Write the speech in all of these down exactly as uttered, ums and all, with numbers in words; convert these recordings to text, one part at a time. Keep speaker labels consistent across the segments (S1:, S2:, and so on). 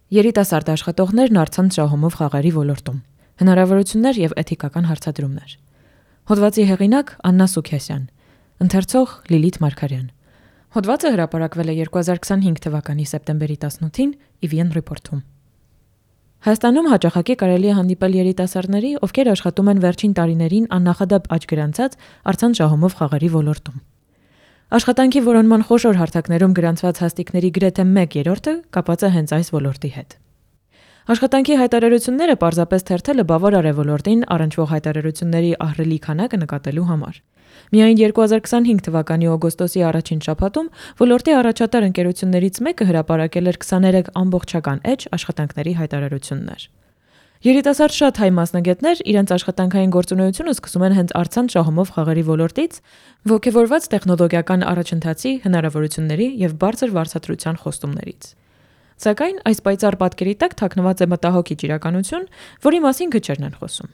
S1: Երիտասարդ աշխատողներն առցանց շահումով խաղերի ոլորտում։ Հնարավորություններ եւ էթիկական հարցադրումներ։ Հոդվածի հեղինակ Աննա Սուքեսյան, ընթերցող Լիլիթ Մարգարյան։ Հոդվածը հրապարակվել է երկու հազար քսանհինգ թվականի սեպտեմբերի տասնութին ի վի են Report-ում։ Հայաստանում հաճախակի կարելի է հանդիպել երիտասարդների, ովքեր աշխատում են վերջին տարիներին աննախադեպ աճ գրանցած առցանց շահումով խաղերի ոլորտում։ Աշխատանքի որոնման խոշոր հարթակներում գրանցված հաստիկների գրեթե մեկ երրորդը կապված է հենց այս ոլորտի հետ։ Աշխատանքի հայտարարությունները պարզապես թերթելը բավարար է ոլորտին առնչվող հայտարարությունների ահռելի քանակը նկատելու համար։ Միայն երկու հազար քսանհինգ թվականի օգոստոսի առաջին շաբաթում ոլորտի առաջատար ընկերություններից մեկը հրապարակել էր քսաներեք ամբողջական էջ աշխատանքների հայտարարություններ։ Երիտասարդ շատ հայ մասնագետներ իրենց աշխատանքային գործունեությունը սկսում են հենց առցանց շահումով խաղերի ոլորտից, ոգևորված տեխնոլոգիական առաջընթացի, հնարավորությունների եւ բարձր վարձատրության խոստումներից։ Սակայն այս պայծառ պատկերի տակ թաքնված է մտահոգիչ իրականություն, որի մասին քչերն են խոսում։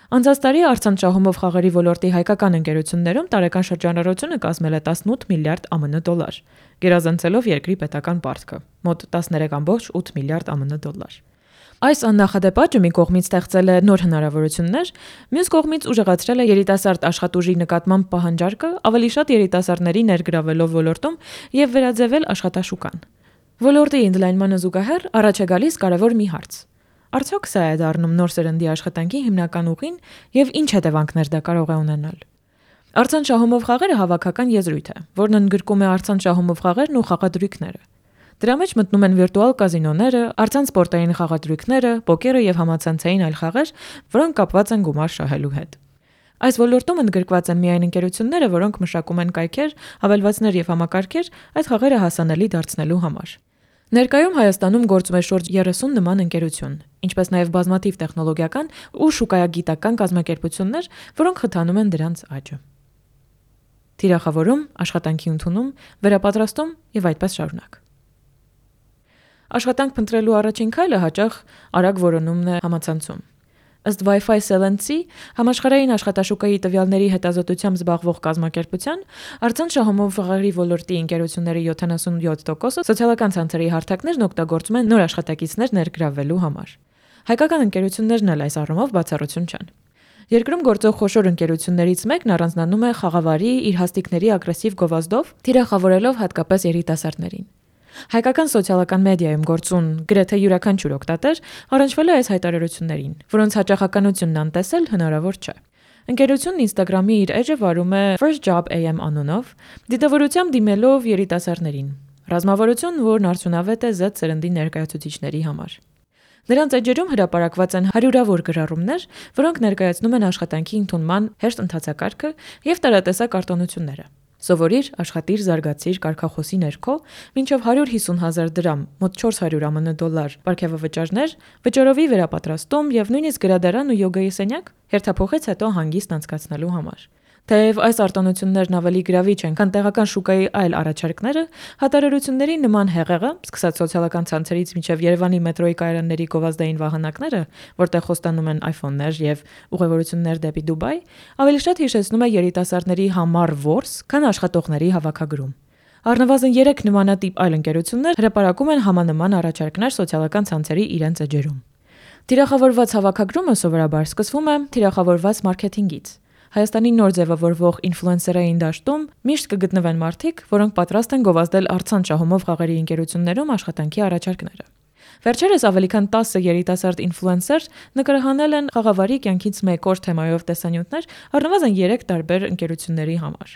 S1: Անցած տարի առցանց շահումով խաղերի ոլորտի հայկական ընկերություններում տարեկան շրջանառությունը կազմել է տասնութ միլիարդ է եմ են դոլար, գերազանցելով երկրի պետական պարտքը՝ մոտ տասներեք կoma ութ միլիարդ է եմ են դոլար։ Այս աննախադեպ աճը մի կողմից ստեղծել է նոր հնարավորություններ, մյուս կողմից ուժեղացրել է երիտասարդ աշխատուժի նկատմամբ պահանջարկը, ավելի շատ երիտասարդների ներգրավելով ոլորտում եւ վերաձևել աշխատաշուկան։ Ոլորտի ընդլայնմանը զուգահեռ առաջ է գալիս կարևոր մի հարց. արդյոք սա է դառնում նոր սերնդի աշխատանքի հիմնական ուղին եւ ինչ հետևանքներ դա կարող է ունենալ։ Առցանց շահումով խաղերը հավաքական եզրույթ է, որն ընդգրկում է առցանց շահումով խաղերն ու խաղադրույքները։ Դրա մեջ մտնում են վիրտուալ կազինոները, առցանց սպորտային խաղադրույքները, պոկերը եւ համացանցային այլ խաղեր, որոնք կապված են գումար շահելու հետ։ Այս ոլորտում ընդգրկված են միայն ընկերությունները, որոնք մշակում են կայքեր, հավելվածներ եւ համակարգեր այդ խաղերը հասանելի դարձնելու համար։ Ներկայում Հայաստանում գործում է շուրջ երեսուն նման ընկերություն, ինչպես նաև բազմաթիվ տեխնոլոգիական ու շուկայագիտական կազմակերպություններ, որոնք խթանում են դրանց աճը։ Թիրախավորում, աշխատանքի ընդունում, վերապատրաստում եւ այդպես շարունակ։ Աշխատանք փնտրելու առաջին քայլը հաճախ արագ որոնումն է համացանցում։ Ըստ Wi-Fi Cell-ի համաշխարհային աշխատաշուկայի տվյալների հետազոտությամբ զբաղվող կազմակերպության, առցանց շահումով խաղերի ոլորտի ընկերությունների յոթանասունյոթ տոկոսը սոցիալական ցանցերի հարթակներն օգտագործում են նոր աշխատակիցներ ներգրավելու համար։ Հայկական ընկերություններն էլ այս առումով բացառություն չեն։ Երկրում գործող խոշոր ընկերություններից մեկն առանձնանում է խաղավարի իր հաստիկների ագրեսիվ գովազդով, թիրախավորելով հատկապես երիտասարդներին։ Հայկական սոցիալական մեդիայում գործուն գրեթե յուրաքանչյուր օգտատեր առնչվել է այս հայտարարություններին, որոնց հաճախականությունն անտեսել հնարավոր չէ։ Ընկերությունն Instagram-ի իր էջը վարում է First Job A M անունով, դիտավորությամբ դիմելով երիտասարդներին։ Ռազմավարություն, որն արդյունավետ է Z սերնդի ներկայացուցիչների համար։ Նրանց էջերում հրապարակված են հարյուրավոր գրառումներ, որոնք ներկայացնում են աշխատանքի ընդունման հեշտ ընթացակարգը եւ տարատեսակ արտոնությունները։ Սովորիր, աշխատիր, զարգացիր կարգախոսի ներքո, մինչև հարյուր հիսուն հազար դրամ, մոտ չորս հարյուր է եմ են դոլար պարգևավճարներ, վճարովի վերապատրաստում եւ նույնիսկ գրադարան ու յոգայի սենյակ հերթափոխից հետո հանգիստ անցկացնելու համար։ Թեև այս արտոնություններն ավելի գրավիչ են, քան տեղական շուկայի այլ առաջարկները, հատարերությունների նման հեղեղը, սկսած սոցիալական ցանցերից մինչև Երևանի մետրոյի կայարանների գովազդային վահանակները, որտեղ խոստանում են iPhone-ներ եւ ուղևորություններ դեպի Դուբայ, ավելի շատ հիշեցնում է երիտասարդների համառ որս, քան աշխատողների հավաքագրում։ Առնվազն երեք նմանատիպ այլ ընկերություններ հրապարակում են համանման առաջարկներ սոցիալական ցանցերի իրենց էջերում։ Թիրախավորված հավաքագրումը սովորաբար սկսվում է թիրախավորված մարքեթինգից։ Հայաստանի նոր ձևավորվող ինֆլուենսերային դաշտում միշտ կգտնվեն մարդիկ, որոնք պատրաստ են գովազդել առցանց շահումով խաղերի ընկերություններում աշխատանքի առաջարկները։ Վերջերս ավելի քան տասը երիտասարդ ինֆլուենսեր նկարահանել են խաղավարի կյանքից մեկ օր թեմայով տեսանյութներ առնվազն երեք տարբեր ընկերությունների համար։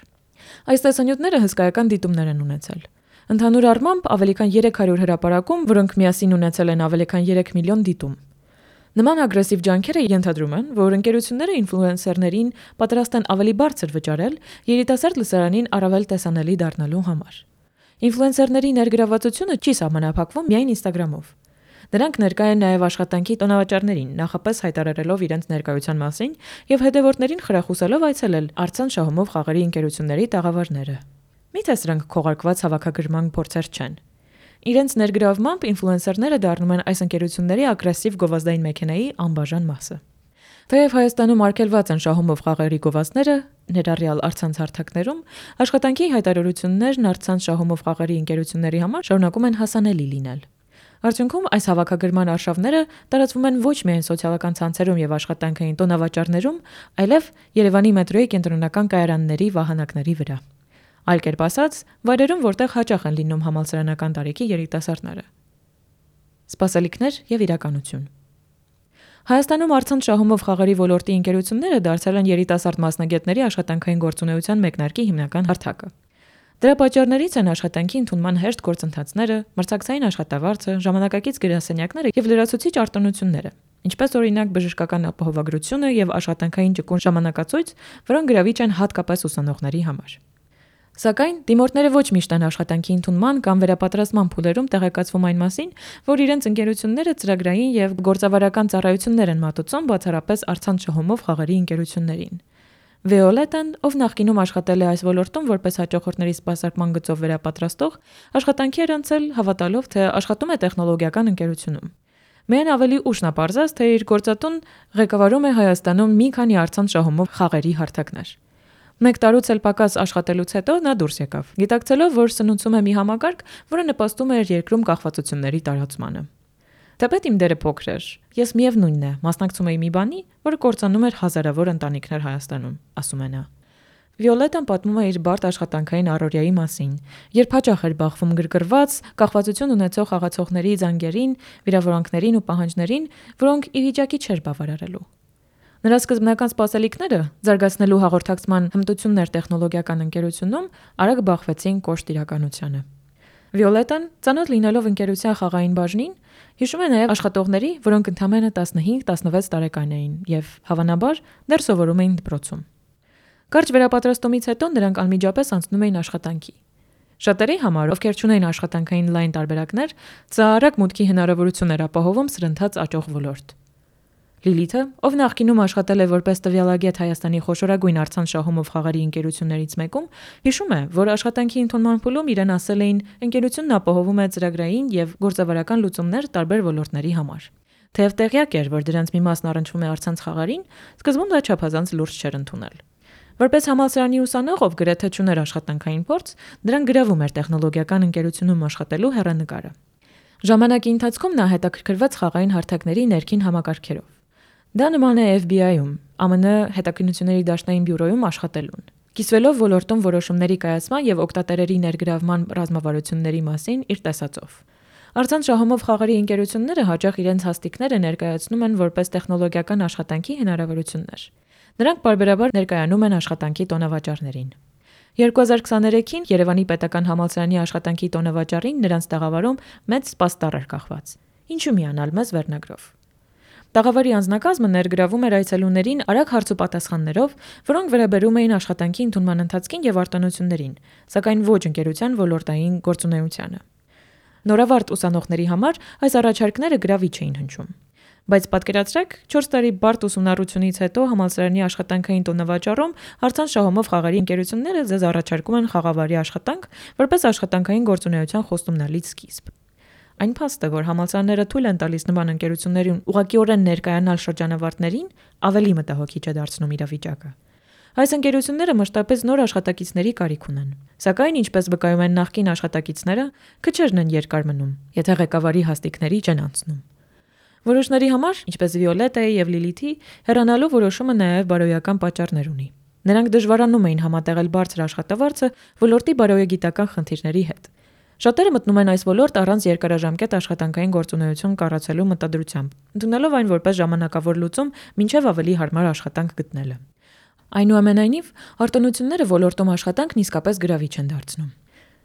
S1: Այս տեսանյութները հսկայական դիտումներ են ունեցել։ Ընդհանուր առմամբ ավելի քան երեք հարյուր հրապարակում, որոնք միասին ունեցել են ավելի քան երեք միլիոն դիտում։ Նման ագրեսիվ ջանքերը ենթադրում են, որ ընկերությունները ինֆլուենսերներին պատրաստ են ավելի բարձր վճարել երիտասարդ լսարանին առավել տեսանելի դառնալու համար։ Ինֆլուենսերների ներգրավվածությունը չի սահմանափակվում միայն Instagram-ով։ Նրանք ներկայ են նաև աշխատանքի տոնավաճառներին, նախապես հայտարարելով իրենց ներկայության մասին եւ հետևորդներին խրախուսելով այցելել առցանց շահումով խաղերի ընկերությունների տաղավարները։ Միթե սրանք քողարկված հավաքագրման փորձեր չեն։ Իրենց ներգրավմամբ ինֆլուենսերները դառնում են այս ընկերությունների ագրեսիվ գովազդային մեքենայի անբաժան մասը։ Թեև Հայաստանում արգելված են շահումով խաղերի գովազդները, ներառյալ առցանց հարթակներում, աշխատանքի հայտարարություններն առցանց շահումով խաղերի ընկերությունների համար շարունակում են հասանելի լինել։ Արդյունքում այս հավաքագրման արշավները տարածվում են ոչ միայն սոցիալական ցանցերում եւ աշխատանքային տոնավաճառներում, այլև Երևանի մետրոյի կենտրոնական կայարանների վահանակների վրա։ Այլ կերպ ասած, վայրերում, որտեղ հաճախ են լինում համալսարանական տարիքի երիտասարդները։ Սպասելիքներ եւ իրականություն։ Հայաստանում առցանց շահումով խաղերի ոլորտի ընկերությունները դարձել են երիտասարդ մասնագետների աշխատանքային գործունեության մեկնարկի հիմնական հարթակը։ Դրա պատճառներից են աշխատանքի ընդունման հեշտ գործընթացները, մրցակցային աշխատավարձը, ժամանակակից գրասենյակները եւ լրացուցիչ արտոնությունները, ինչպես օրինակ բժշկական ապահովագրությունը եւ աշխատանքային ճկուն ժամանակացույց, որոնք գրավիչ են հատկապես ուսանողների համար։ Սակայն դիմորդները ոչ միշտ են աշխատանքի ընդունման կամ վերապատրաստման փուլերում տեղեկացվում այն մասին, որ իրենց ընկերությունները ծրագրային եւ գործավարական ծառայություններ են մատուցում բացառապես առցանց շահումով խաղերի ընկերություններին։ Վիոլետան, ով նախկինում աշխատել է այս ոլորտում որպես հաճախորդների սպասարկման գծով վերապատրաստող, աշխատանքի էր անցել հավատալով, թե աշխատում է տեխնոլոգիական ընկերությունում։ Միայն ավելի ուշ նա պարզեց, թե իր գործատուն ղեկավարում է Հայաստանում մի քանի առցանց շահումով խաղերի հարթակներ։ Մեկ տարուց էլ պակաս աշխատելուց հետո նա դուրս եկավ, գիտակցելով, որ սնուցում է մի համակարգ, որը նպաստում է երկրում կախվածությունների տարածմանը։ Թեպետ իմ դերը փոքր էր, ես միևնույնն է, մասնակցում էի մի բանի, որը կործանում էր հազարավոր ընտանիքներ Հայաստանում, ասում է նա։ Վիոլետան պատմում է իր բարդ աշխատանքային առօրյայի մասին, երբ հաճախ էր բախվում գրգռված, կախվածություն ունեցող խաղացողների զանգերին, վիրավորանքներին ու պահանջներին, որոնք ի վիճակի չէր բավարարելու։ Նրա սկզբնական սպասելիքները, զարգացնելու հաղորդակցման հմտություններ տեխնոլոգիական ընկերությունում, արագ բախվեցին կոշտ իրականությանը։ Վիոլետան, ծանոթ լինելով ընկերության խաղային բաժնին, հիշում է նաև աշխատողների, որոնք ընդամենը տասնհինգ տասնվեց տարեկան էին եւ հավանաբար դեռ սովորում էին դպրոցում։ Կարճ վերապատրաստումից հետո նրանք անմիջապես անցնում էին աշխատանքի։ Շատերի համար, ովքեր չունեին աշխատանքային լայն տարբերակներ, սա արագ մուտքի հնարավորություն էր ապահովում սրընթաց աճող ոլորտ։ Լիլիթը, ով նախկինում աշխատել է որպես տվյալագետ Հայաստանի խոշորագույն առցանց շահումով խաղերի ընկերություններից մեկում, հիշում է, որ աշխատանքի ընդունման փուլում իրեն ասել էին, ընկերությունն ապահովում է ծրագրային եւ գործավարական լուծումներ տարբեր ոլորտների համար։ Թեև տեղյակ էր, որ դրանց մի մասն առնչվում է առցանց խաղերին, սկզբում դա չափազանց լուրջ չէր ընդունել։ Որպես համալսարանի ուսանող, ով գրեթե չուներ աշխատանքային փորձ, դրան գրավում էր տեխնոլոգիական ընկերությունում աշխատելու հեռանկարը։ Ժամանակի ընթացքում նա հետաքրքրվեց խաղային հարթակների ներքին համակարգերով։ Դա նման է Էֆ Բի Այ-ում, Ամեն Ինը հետաքննությունների դաշնային բյուրոյում աշխատելուն։ Կիսվելով ոլորտում որոշումների կայացման եւ օգտատերերի ներգրավման ռազմավարությունների մասին իր տեսածով։ Առցանց շահումով խաղերի ընկերությունները հաճախ իրենց հաստիկները ներկայացնում են որպես տեխնոլոգիական աշխատանքի հնարավորություններ։ Նրանք պարբերաբար ներկայանում են աշխատանքի տոնավաճառներին։ երկու հազար քսաներեքին Երևանի պետական համալսարանի աշխատանքի տոնավաճառին նրանց տաղավարում մեծ սպաստառ էր կախված։ Ինչու միանալ մեզ վերնագրով։ Տաղավարի անձնակազմը ներգրավում էր այցելուներին արագ հարց ու պատասխաններով, որոնք վերաբերում էին աշխատանքի ընդունման ընթացքին եւ արտոնություններին, սակայն ոչ ընկերության ոլորտային գործունեությանը։ Նորավարտ ուսանողների համար այս առաջարկները գրավիչ էին հնչում։ Բայց պատկերացրեք, չորս տարի բարդ ուսումնառությունից հետո համալսարանի աշխատանքային տոնավաճառում առցանց շահումով խաղերի ընկերությունները ձեզ առաջարկում են խաղավարի աշխատանք, որպես աշխատանքային գործունեության խոստումնալից սկիզբ։ Այն փաստը, որ համալսարանները թույլ են տալիս նման ընկերություններին ուղղակիորեն ներկայանալ շրջանավարտներին, ավելի մտահոգիչ է դարձնում իրավիճակը։ Այս ընկերությունները մշտապես նոր աշխատակիցների կարիք ունեն, սակայն ինչպես վկայում են նախկին աշխատակիցները, քչերն են երկար մնում, եթե ղեկավարի հաստիկների չեն անցնում։ Որոշների համար, ինչպես Վիոլետայի եւ Լիլիթի, հեռանալու որոշումը նաեւ բարոյական պատճառներ ունի։ Նրանք դժվարանում էին համատեղել բարձր աշխատավարձը ոլորտի բարոյագիտական խնդիրների հետ։ Շատերը մտնում են այս ոլորտ առանց երկարաժամկետ աշխատանքային գործունեություն կառուցելու մտադրությամբ, ընդունելով այն որպես ժամանակավոր լուծում, մինչև ավելի հարմար աշխատանք գտնելը։ Այնուամենայնիվ, արտոնությունները ոլորտում աշխատանքն իսկապես գրավիչ են դարձնում։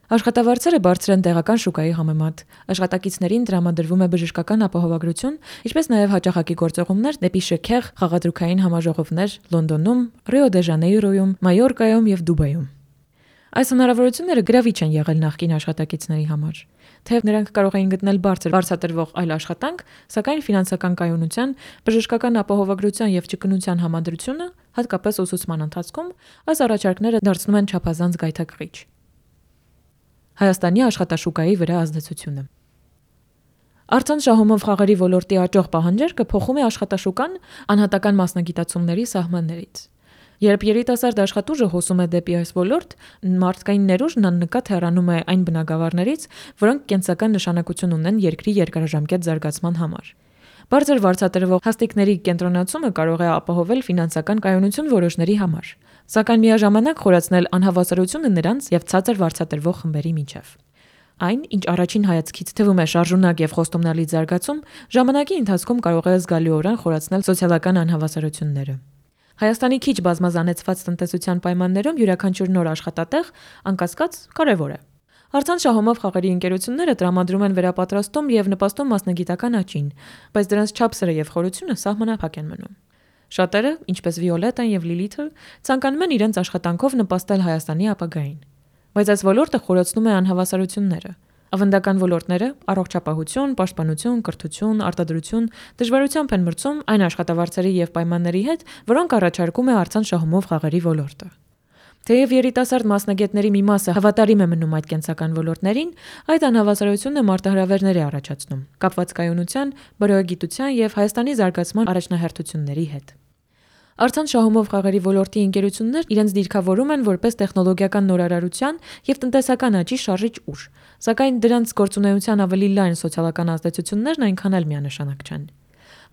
S1: Աշխատավարձերը բարձր են տեղական շուկայի համեմատ, աշխատակիցներին տրամադրվում է բժշկական ապահովագրություն, ինչպես նաև հաճախակի գործողումներ դեպի շքեղ խաղադրուքային համաժողովներ Լոնդոնում, Ռիո դե Ժանեյրոյում, Մայորկայում եւ Դուբայում։ Այս հնարավորությունները գրավիչ են եղել նախկին աշխատակիցների համար, թեև նրանք կարող էին գտնել բարձր վարձատրվող այլ աշխատանք, սակայն ֆինանսական կայունության, բժշկական ապահովագրության եւ ճկունության համադրությունը, հատկապես ուսուցման ընթացքում, այս առաջարկները դարձնում են չափազանց գայթակղիչ։ Հայաստանի աշխատաշուկայի վրա ազդեցությունը։ Առցանց շահումով խաղերի ոլորտի աճող պահանջարկը փոխում է աշխատաշուկան անհատական մասնագիտացումների սահմաններից։ Երբ երիտասարդ աշխատուժը հոսում է դեպի այս ոլորտ, մարդկային ներուժն աննկատ հեռանում է այն բնագավառներից, որոնք կենսական նշանակություն ունեն երկրի երկարաժամկետ զարգացման համար։ Բարձր վարձատրվող հաստիկների կենտրոնացումը կարող է ապահովել ֆինանսական կայունություն որոշների համար, սակայն միաժամանակ խորացնել անհավասարությունը նրանց եւ ցածր վարձատրվող խմբերի միջև։ Այն, ինչ առաջին հայացքից թվում է շարժունակ եւ խոստումնալից զարգացում, ժամանակի ընթացքում կարող է զգալիորեն խորացնել սոցիալական անհավասարությունները։ Հայաստանի քիչ բազմազանեցված տնտեսության պայմաններում յուրաքանչյուր նոր աշխատատեղ անկասկած կարևոր է։ Առցանց շահումով խաղերի ընկերությունները տրամադրում են վերապատրաստում եւ նպաստում մասնագիտական աճին, բայց դրանց չափսերը եւ խորությունը սահմանափակ են մնում։ Շատերը, ինչպես Վիոլետան եւ Լիլիթը, ցանկանում են իրենց աշխատանքով նպաստել Հայաստանի ապագային, բայց այս ոլորտը խորացնում է անհավասարությունները։ Ավանդական ոլորտները՝ առողջապահություն, պաշտպանություն, կրթություն, արտադրություն, դժվարությամբ են մրցում այն աշխատավարձերի եւ պայմանների հետ, որոնք առաջարկում է առցանց շահումով խաղերի ոլորտը։ Թեև երիտասարդ մասնագետների մի մասը հավատարիմ է մնում այդ կենսական ոլորտներին, այդ անհավասարությունը մարտահրավերներ է առաջացնում՝ կապված կայունության, բարոյագիտության եւ Հայաստանի զարգացման առաջնահերթությունների հետ։ Առցանց շահումով խաղերի ոլորտի ընկերություններ իրենց դիրքավորում են որպես տեխնոլոգիական նորարարության եւ տնտեսական աճի շարժիչ ուժ, սակայն դրանց գործունեության ավելի լայն սոցիալական ազդեցություններն այնքան էլ միանշանակ չեն։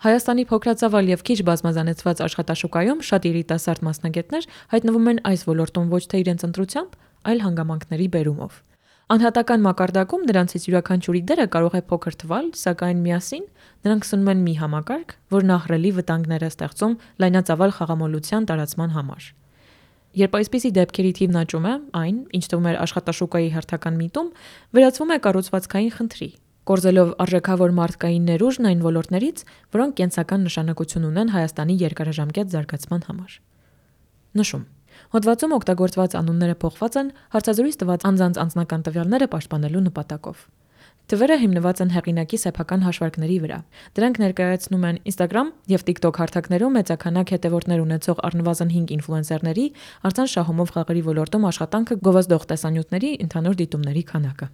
S1: Հայաստանի փոքրածավալ եւ քիչ բազմազանեցված աշխատաշուկայում շատ երիտասարդ մասնագետներ հայտնվում են այս ոլորտում ոչ թե իրենց ընտրությամբ, այլ հանգամանքների բերումով։ Անհատական մակարդակում նրանցից յուրաքանչյուրի դերը կարող է փոքր թվալ, սակայն միասին նրանք սնում են մի համակարգ, որն ահռելի վտանգներ է ստեղծում լայնածավալ խաղամոլության տարածման համար։ Երբ այսպիսի դեպքերի թիվն աճում է, այն, ինչ թվում է աշխատաշուկայի հերթական միտում, վերածվում է կառուցվածքային խնդրի, կորզելով արժեքավոր մարդկային ներուժն այն ոլորտներից, որոնք կենսական նշանակություն ունեն Հայաստանի երկարաժամկետ զարգացման համար։ Նշում. Հոդվածում օգտագործված անունները փոխված են հարցազրույց տված անձանց անձնական տվյալները պաշտպանելու նպատակով։ Թվերը հիմնված են հեղինակի սեփական հաշվարկների վրա։ Դրանք ներկայացնում են Instagram եւ TikTok հարթակներում մեծաքանակ հետևորդներ ունեցող առնվազն հինգ ինֆլուենսերների, առցանց շահումով խաղերի ոլորտում աշխատանքը գովազդող տեսանյութերի ընդհանուր դիտումների քանակը։